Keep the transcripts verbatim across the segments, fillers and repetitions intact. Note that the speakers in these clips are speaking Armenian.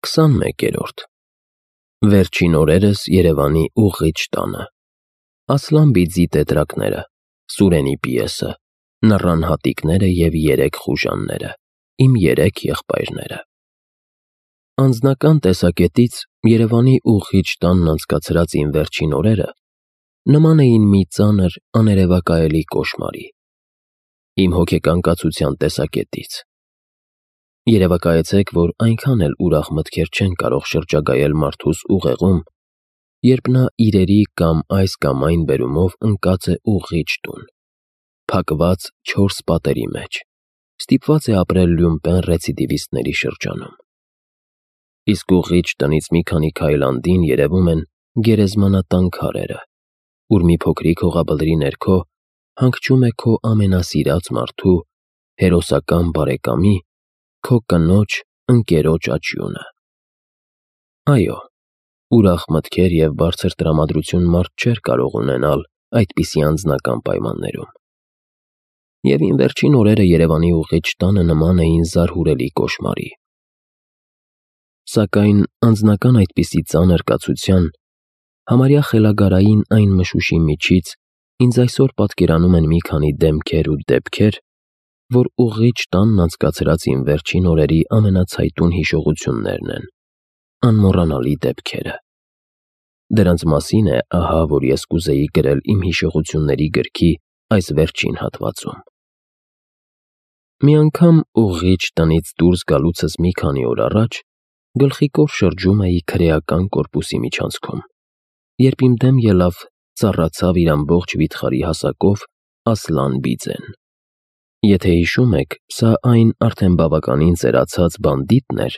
քսանմեկերորդ Վերջին օրերս Երևանի ուղղիչ տանը Ասլան Բիձի տետրակները, Սուրենի պիեսը, Նռան հատիկները և երեք խուժանները, իմ երեք եղբայրները։ Անձնական տեսակետից Երևանի ուղղիչ տանն անցկացրած իմ վերջին օրերը նման էին մի ծանր, աներևակայելի կոշմարի։ Իմ հոգեկան կացության տեսակետից երևակայեցեք, որ այնքան էլ ուրախ մտքեր չեն կարող շրջագայել մարդուս ուղեղում, երբ նա իրերի կամ այս կամ այն բերումով ընկած է ուղղիչ տուն, փակված չորս պատերի մեջ, ստիպված է ապրել լյումպեն ռեցիդիվիստների շրջանում։ Իսկ ուղղիչ տնից մի քանի քայլ andին երևում են գերեզմանատան քարերը, ուր մի փոքրիկ հողաբլրի ներքո հանգչում է քո ամենասիրած մարդու, հերոսական բարեկամի, քո կնոջ, ընկերոջ աչյունը։ Այո, ուրախ մտքեր և բարձր տրամադրություն մարդ չէր կարող ունենալ այդպիսի անձնական պայմաններում։ Եվ իմ վերջին օրերը Երևանի ուղղիչ տանը նման էին զարհուրելի կոշմարի։ Սակայն անձնական այդպիսի ծանր կացության, համարյա խելագարային այն մշուշի միջից ինձ այսօր պատկերանում են մի քանի դեմքեր ու դեպքեր, որ ուղղիչ տանն անցկացրած իմ վերջին օրերի ամենացայտուն հիշողություններն են, անմոռանալի դեպքերը։ Դրանց մասին է ահա, որ ես կուզեի գրել իմ հիշողությունների գրքի այս վերջին հատվածում։ Մի անգամ ուղղիչ տնից դուրս գալուցս մի քանի օր առաջ գլխիկոր շրջում էի քրեական կորպուսի միջանցքում, երբ իմ դեմ ելավ, ծառացավ իր ամբողջ վիթխարի հասակով Ասլան Բիձեն։ Եթե հիշում եք, սա այն արդեն բավականին ծերացած բանդիտն էր,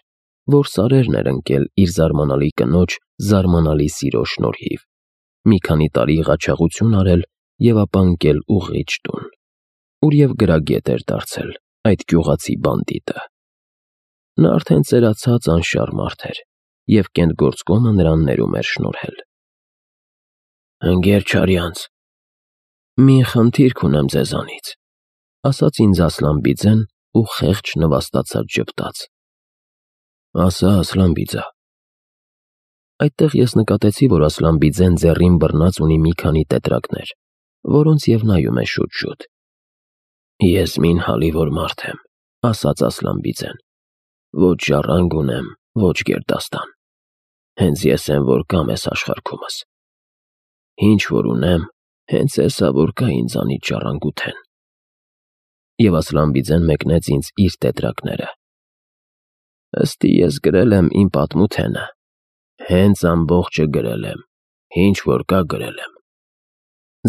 որ սարերն էր ընկել իր զարմանալի կնոջ զարմանալի սիրո շնորհիվ, մի քանի տարի ղաչաղություն արել և ապա ընկել ուղղիչ տուն, ուր և գրագետ էր դարձել այդ գյուղացի բանդիտը։ Նա արդեն ծերացած անշառ մարդ էր, և կենտգործկոմը նրան ներում էր շնորհել։ «Ընկեր չարյանց, մի խնդիր կունեմ ձեզանից», ասաց ինձ Ասլան Բիձեն ու խեղճ նվաստացած ժպտաց։ «Ասա, Ասլան Բիձա»։ Այդտեղ ես նկատեցի, որ Ասլան Բիձեն ձեռին բռնած ունի մի քանի տետրակներ, որոնց և նայում է շուտ-շուտ։ «Ես մի հալիվոր մարդ եմ», ասաց Ասլան Բիձեն, «ոչ ժառանգ ունեմ, ոչ գերդաստան։ Հենց ես եմ, որ կամ էս աշխարհքումս։ Ինչ որ ունեմ, հենց էսա, որ կա ինձանից ժառանգութեն»։ Եվ Ասլան Բիձեն մեկնեց ինձ իր տետրակները։ «Ըստի ես գրել եմ իմ պատմութենը, հենց ամբողջը գրել եմ, ինչ որ կա գրել եմ։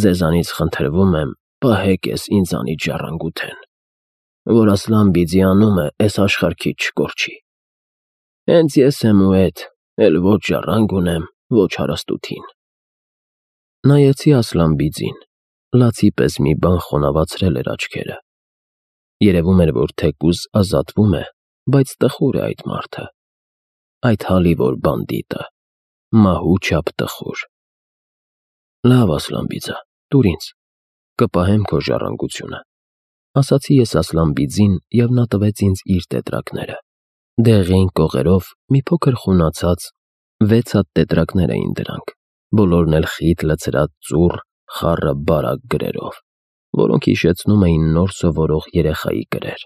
Ձեզանից խնդրվում եմ, պահեք էս ինձանից ժառանգութեն, որ Ասլան Բիձի անունը էս աշխարհքից չկորչի։ Հենց ես եմ ու էդ, էլ ոչ ժառանգ ունեմ, ոչ հարստութին»։ Նայեցի Ասլան Բիձին, լացի պես մի բան խոնավացրել էր աչքերը։ Երևում էր, որ թեկուզ ազատվում է, բայց տխուր է այդ մարդը, այդ հալիվոր բանդիտը, մահու չափ տխուր։ «Լավ, Ասլան Բիձա, տուր ինձ, կպահեմ քո ժառանգությունը», ասացի ես Ասլան Բիձին, և նա տվեց ինձ իր տետրակները։ Դեղին կողերով մի փոքր խունացած վեց հատ տետրակներ էին դրանք, բոլորն էլ խիտ լցրած ծուռ, խառը բարակ գրերով, որոնք հիշեցնում էին նոր սովորող երեխայի գրեր։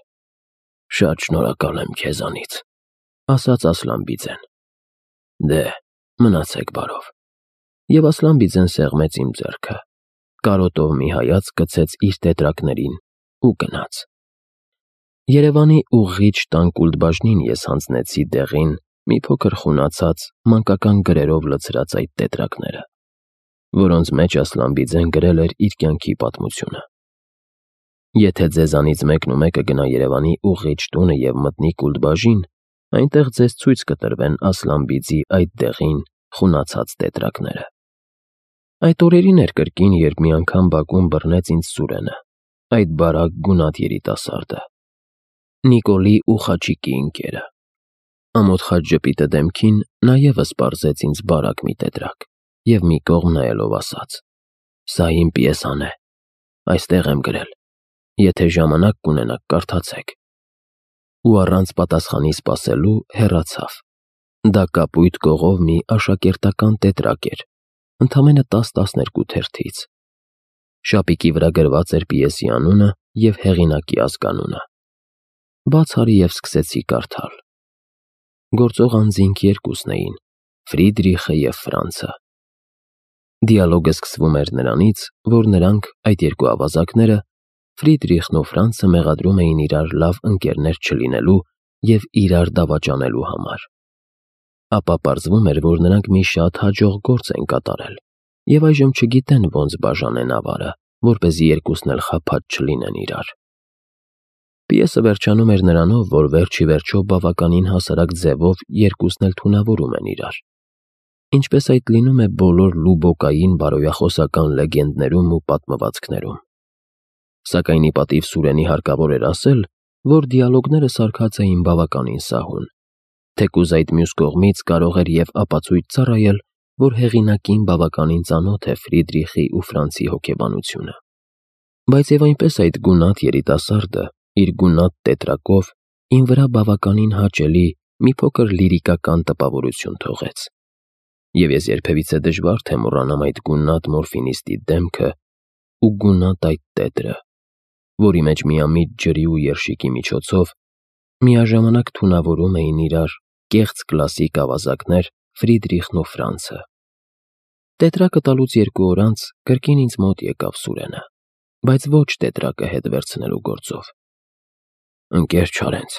«Շատ շնորհակալ եմ քեզանից», ասաց Ասլան Բիձեն։ «Դե, մնացեք բարով»։ Եվ Ասլան Բիձեն սեղմեց իմ ձեռքը, կարոտով մի հայացք գցեց իր տետրակներին ու գնաց։ Երևանի ուղղիչ տան կուլտբաժնին ես հանձնեցի դեղին, մի փոքր խունացած, մանկական գրերով լցրած այդ տետրակները, որոնց մեջ Ասլան Բիձեն գրել էր իր կյանքի պատմությունը։ Եթե ձեզանից մեկն ու մեկը գնա Երևանի ուղղիչ տունը և մտնի կուլտբաժին, այնտեղ ձեզ ցույց կտրվեն Ասլան Բիձի այդ դեղին, խունացած տետրակները։ Այդ օրերին էր կրկին, երբ մի անգամ բակում բռնեց ինձ Սուրենը, այդ բարակ գունատ երիտասարդը, Նիկոլի ու Խաչիկի ընկերը։ Ամոթ խաչ ժպիտը դեմքին նա ևս պարզեց ինձ բարակ մի տետրակ և մի կողմ նայելով ասաց. «Սա իմ պիեսան է, այստեղ եմ գրել, եթե ժամանակ կունենաք, կարդացեք»։ Ու առանց պատասխանի սպասելու հեռացավ։ Դա կապույտ կողով մի աշակերտական տետրակ էր, ընդամենը տաս-տասներկու թերթից։ Շապիկի վրա գրված էր պիեսի անունը և հեղինակի ազգանունը։ Բաց արի և սկսեցի կարդալ։ Գործող անձինք երկուսն էին՝ Ֆրիդրիխը և Ֆրանցը։ Դիալոգը սկսվում էր նրանից, որ նրանք, այդ երկու ավազակները, Ֆրիդրիխն ու Ֆրանցը մեղադրում էին իրար լավ ընկերներ չլինելու և իրար դավաճանելու համար։ Ապա պարզվում էր, որ նրանք մի շատ հաջող գործ են կատարել և այժմ չգիտեն ոնց բաժանեն ավարը, որպեսզի երկուսն էլ խաբած չլինեն իրար։ Պիեսը վերջանում էր նրանով, որ վերջ ի վերջո բավականին հասարակ ձևով երկուսն էլ թունավորում են իրար, ինչպես այդ լինում է բոլոր լուբոկային բարոյախոսական լեգենդներում ու պատմվածքներում։ Սակայն ի պատիվ Սուրենի հարկավոր էր ասել, որ դիալոգները սարքած էին բավականին սահուն, թեկուզ այդ մյուս կողմից կարող էր և ապացույց ծառայել, որ հեղինակին բավականին ծանոթ է Ֆրիդրիխի ու Ֆրանցի հոգեբանությունը։ Բայց և այնպես այդ գունատ երիտասարդը իր գունատ տետրակով իմ վրա բավականին հաճելի մի փոքր լիրիկական տպավորություն թողեց։ Եվ ես երբևիցե դժվար թե մոռանամ այդ գունատ մորֆինիստի դեմքը ու գունատ այդ տետրը, որի մեջ միամիտ ջրի ու երշիկի միջոցով միաժամանակ թունավորում էին իրար կեղծ կլասիկ ավազակներ Ֆրիդրիխն ու Ֆրանցը։ Տետրակը տալուց երկու օր անց կրկին ինձ մոտ եկավ Սուրենը, բայց ոչ տետրակը հետ վերցնելու գործով։ «Ընկեր Չարենց»,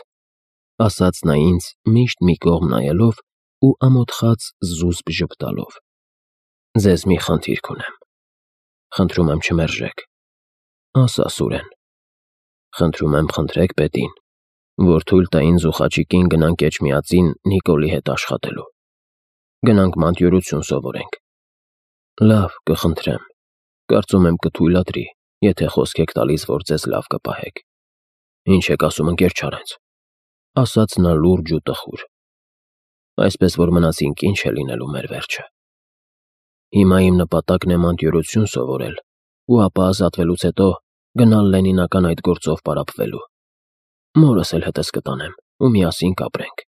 ասաց նա ինձ միշտ մի կողմ նայելով ու ամոթխած զուսպ ժպտալով, «ձեզ մի խնդիր կունեմ, խնդրում եմ չմերժեք»։ «Ասա, Սուրեն»։ «Խնդրում եմ խնդրեք պետին, որ թույլ տա ինձ ու Խաչիկին գնանք Էջմիածին Նիկոլի հետ աշխատելու։ Գնանք մանտյորություն սովորենք»։ «Լավ, կխնդրեմ, կարծում եմ կթույլատրի, եթե խոսք եք տալիս, որ ձեզ լավ կպահեք»։ «Ինչ եք ասում, ընկեր Չարենց», ասաց նա լուրջ ու տխուր։ «Այսպես որ մնացինք, ինչ է լինելու մեր վերջը։ Հիմա իմ նպատակն է մանտյորություն սովորել ու ապա ազատվելուց հետո գնալ Լենինական այդ գործով պարապվելու։ Մորս էլ հետս կտանեմ ու միասին կապրենք»։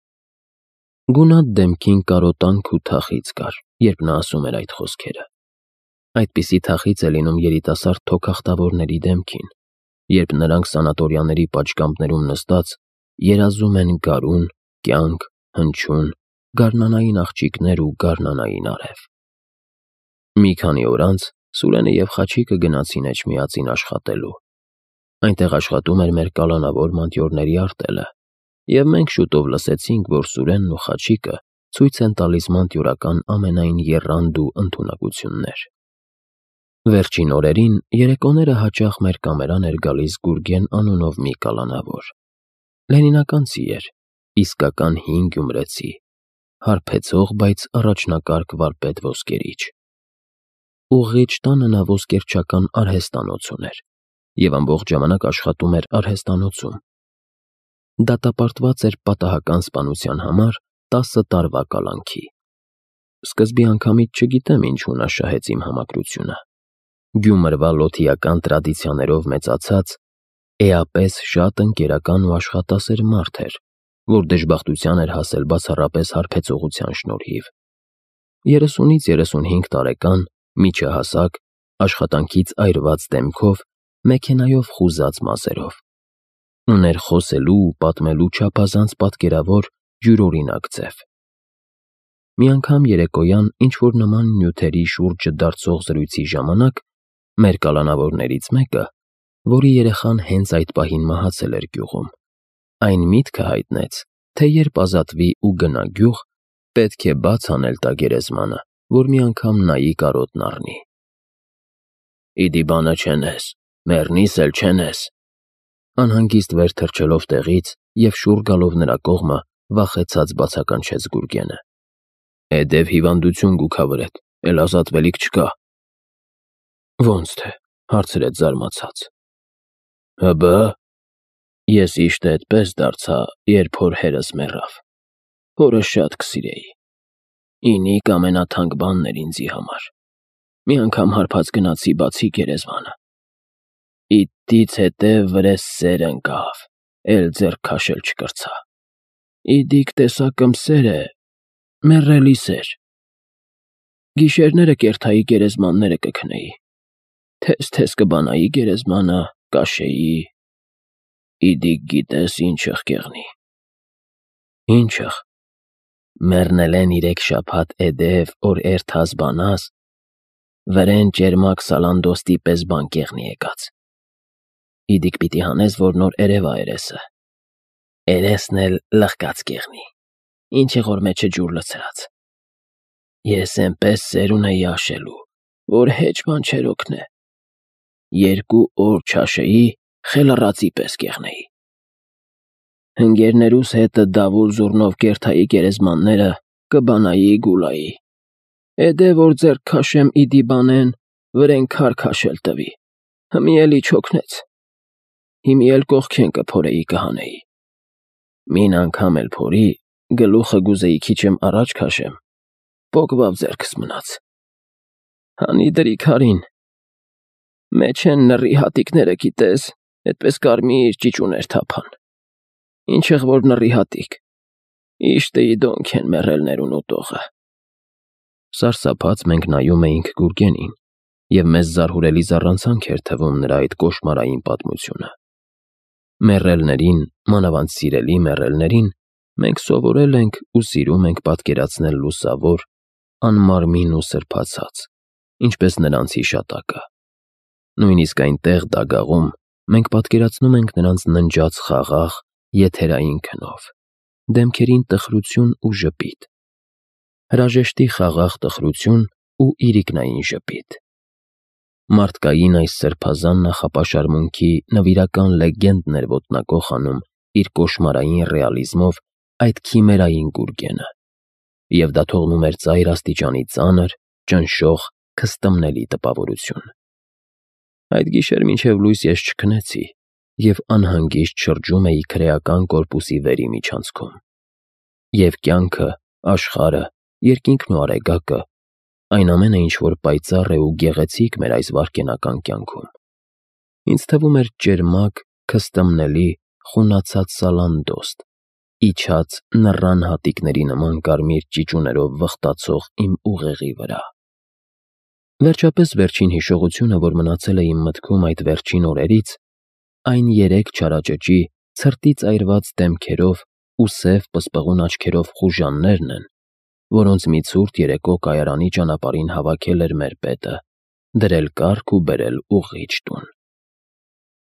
Գունատ դեմքին կարոտանք ու թախիծ կար, երբ նա ասում էր այդ խոսքերը։ Այդպիսի թախիծ է լինում երիտասարդ թոքախտավորների դեմքին, երբ նրանք սանատորիաների պատշգամբներում նստած երազում են գարուն, կյանք, հնչյուն, գարնանային աղջիկներ ու գարնանային արև։ Մի քանի օր անց Սուրենը և Խաչիկը գնացին Էջմիածին աշխատելու։ Այնտեղ աշխատում էր մեր կալանավոր մանտյորների արտելը, և մենք շուտով լսեցինք, որ Սուրենն ու Խաչիկը ցույց են տալիս մանտյորական ամենայն եռանդ ու ընդունակություններ։ Վերջին օրերին երեկոները հաճախ մեր կամերան էր գալիս Գուրգեն անունով մի կալանավոր։ Լենինականցի էր, իսկական հին գյումրեցի, հարբեցող, բայց առաջնակարգ վարպետ ոսկերիչ։ Ուղղիչ տանը նա ոսկերչական արհեստանոց ուներ և ամբողջ ժամանակ աշխատում էր արհեստանոցում։ Դատապարտված էր պատահական սպանության համար տասը տարվա կալանքի։ Սկզբի անգամից չգիտեմ ինչու նա շահեց իմ համակրությունը։ Գյումրվա լոթիական տրադիցիաներով մեծացած, էապես շատ ընկերական ու աշխատասեր մարդ էր, որ դժբախտության էր հասել բացառապես հարբեցողության շնորհիվ։ Երեսունից երեսունհինգ տարեկան, միջահասակ, աշխատանքից այրված դեմքով, մեքենայով խուզած մազերով։ Ուներ խոսելու ու պատմելու չափազանց պատկերավոր, յուրօրինակ ձև։ Մի անգամ երեկոյան ինչ-որ նման նյութերի շուրջը դարձող զրույցի ժամանակ մեր կալանավորներից մեկը, որի երեխան հենց այդ պահին մահացել էր գյուղում, այն միտքը հայտնեց, թե երբ ազատվի ու գնա գյուղ, պետք է բաց անել տա գերեզմանը, որ մի անգամ նայի կարոտն առնի։ «Իդի բանը չենես, մեռնիս էլ չենես», անհանգիստ վեր թռչելով տեղից և շուռ գալով նրա կողմը վախեցած բացականչեց Գուրգենը։ «Էդև հիվանդություն գուքա վրեդ, էլ ազատվելիք չկա»։ «Ոնց թե», հարցրեց զարմացած։ «Հըբը, ես իշտե էդպես դարձա, երբ հոր հերս մեռավ։ Հորս շատ կսիրեի։ Ինիք ամենաթանկ բանն էր ինձի համար։ Մի անգամ հարբած գնացի բացի գերեզմանը։ Իդից հետև վրես սեր ընկավ, էլ ձեռք քաշել չկրցա։ Իդիք տեսակըմ սեր է, Մեռելի սեր։ Գիշերները կերթայի գերեզմանները կքնեի, թես-թես կբանայի գերեզմանը, կաշեի, իդիկ գիտես ինչըղ կեղնի։ Ինչըղ, մեռնել են իրեք շաբաթ էդև, որ էրթաս բանաս, վրեն ճերմակ սալանդոստի պես բան կեղնի եկած։ Իդիկ պիտի հանես, որ նոր երևա երեսը, երեսն էլ լղկած կեղնի, ինչը որ մեջը ջուր լցրած։ Ես էնպես սերուն էի աշելու, որ հեչ բան չեր օգնե, երկու օր չաշեի, խելառացի պես կեղնեի։ Հնգերներուս հետը դավուլ զուռնով կերթայի գերեզմանները կբանայի գուլայի, էդե որ ձեռք քաշեմ իդի բանեն, վրեն քար քաշել տվի, հմի էլի չօգնեց, հիմի էլ կողքեն կփորեի կհանեի։ Մին անգամ էլ փորի, գլուխը գուզեի քիչեմ առաջ քաշեմ, պոկվավ ձեռքս մնաց։ Հանի դրի քարին, մեջ են նռի հատիկները գիտես, էդպես կարմիր ճիճուներ թափան, ինչեղ որ նռի հատիկ, իշտեի դոնք են մեռելներուն ուտողը։ Սարսափած մենք նայում էինք Գուրգենին, և մեզ զարհուրելի զառանցանք էր թվում նրա այդ կոշմարային պատմությունը։ Մեռելներին, մանավանդ սիրելի մեռելներին, մենք սովորել ենք ու սիրում ենք պատկերացնել լուսավոր, անմարմին ու սրբացած, ինչպես նրանց հիշատակը։ Նույնիսկ այնտեղ դագաղում մենք պատկերացնում ենք նրանց ննջած խաղաղ, եթերային քնով, դեմքերին տխրություն ու ժպիտ, հրաժեշտի խաղաղ տխրություն ու իրիկնային ժպիտ։ Մարդկային այս սրբազան նախապաշարմունքի նվիրական լեգենդն էր ոտնակոխ անում իր կոշմարային ռեալիզմով այդ քիմերային Գուրգենը, և դա թողնում էր ծայր աստիճանի ծանր, ճնշող, քստմնելի տպավորություն։ Այդ գիշեր մինչև լույս ես չքնեցի և անհանգիստ շրջում էի քրեական կորպուսի վերի միջանցքում։ Եվ կյանքը, աշխարհը, երկինքն ու արեգակը, այն ամենը, ինչ որ պայծառ է ու գեղեցիկ մեր այս վայրկենական կյանքում, ինձ թվում էր ճերմակ, քստմնելի, խունացած սալանդոստ, իջած նռան հատիկների նման կարմիր ճիճուներով վխտացող իմ ուղեղի վրա։ Վերջապես վերջին հիշողությունը, որ մնացել է իմ մտքում այդ վերջին օրերից, այն երեք չարաճճի, ցրտից այրված դեմքերով ու սև պսպղուն աչքերով խուժաններն են, որոնց մի ցուրտ երեկո կայարանի ճանապարհին հավաքել էր մեր պետը, դրել կառք ու բերել ուղղիչ տուն։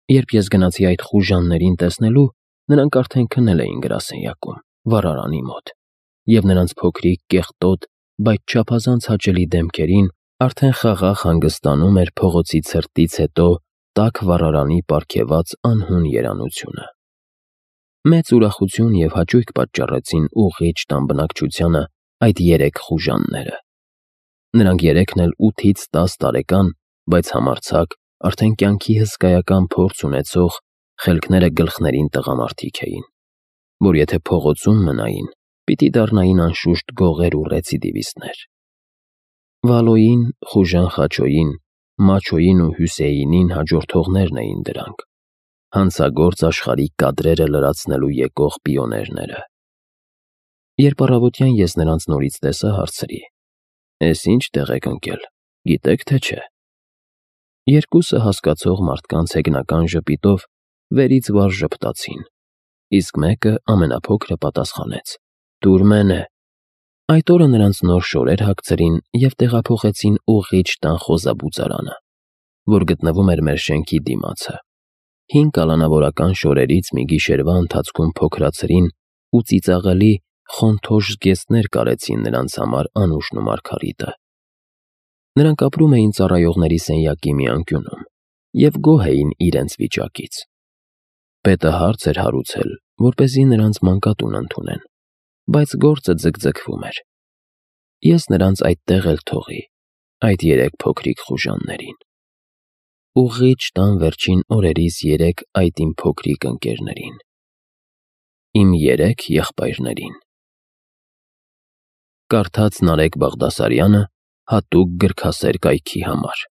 Երբ ես գնացի այդ խուժաններին տեսնելու, նրանք արդեն քնել էին գրասենյակում, վառարանի մոտ, և նրանց փոքրիկ, կեղտոտ, բայց չափազանց հաճելի դեմքերին արդեն խաղաղ հանգստանում էր փողոցի ցրտից հետո տաք վառարանի պարգևած անհուն երանությունը։ Մեծ ուրախություն և հաճույք պատճառեցին ուղղիչ տան բնակչությանը այդ երեք խուժանները։ Նրանք երեքն էլ ութից տաս տարեկան, բայց համարձակ, արդեն կյանքի հսկայական փորձ ունեցող, խելքները գլխներին տղամարդիկ էին, որ եթե փողոցում մնային, պիտի դառնային անշուշտ գողեր ու ռեցիդիվիստներ։ Վալոյին, խուժան Խաչոյին, Մաչոյին ու Հյուսեյնին հաջորդողներն էին դրանք, հանցագործ աշխարհի կադրերը լրացնելու եկող պիոներները։ Երբ առավոտյան ես նրանց նորից տեսա, հարցրի. «Էս ինչ տեղ եք ընկել, գիտեք թե չէ»։ Երկուսը հասկացող մարդկանց հեգնական ժպիտով վերից վար ժպտացին, իսկ մեկը ամենափոքրը պատասխանեց. «Տուր մենե»։ Այդ օրը նրանց նոր շորեր հագցրին և տեղափոխեցին ուղղիչ տան խոզաբուծարանը, որ գտնվում էր մեր շենքի դիմացը։ Հին կալանավորական շորերից մի գիշերվա ընթացքում փոքրացրին ու ծիծաղելի, խոնթոշ զգեստներ կարեցին նրանց համար Անուշն ու Մարգարիտը։ Նրանք ապրում էին ծառայողների սենյակի մի անկյունում և գոհ էին իրենց վիճակից։ Պետը հարց էր հարուցել, որպեսզի նրանց մանկատուն ընդունեն, բայց գործը ձգձգվում էր։ Ես նրանց այդտեղ էլ թողի, այդ երեք փոքրիկ խուժաններին։ Ուղղիչ տան վերջին օրերիս երեք այդ իմ փոքրիկ ընկերներին։ Իմ երեք եղբայրներին։ Կարդաց Նարեկ Բաղդասարյանը հատուկ գրքասեր կայքի համար։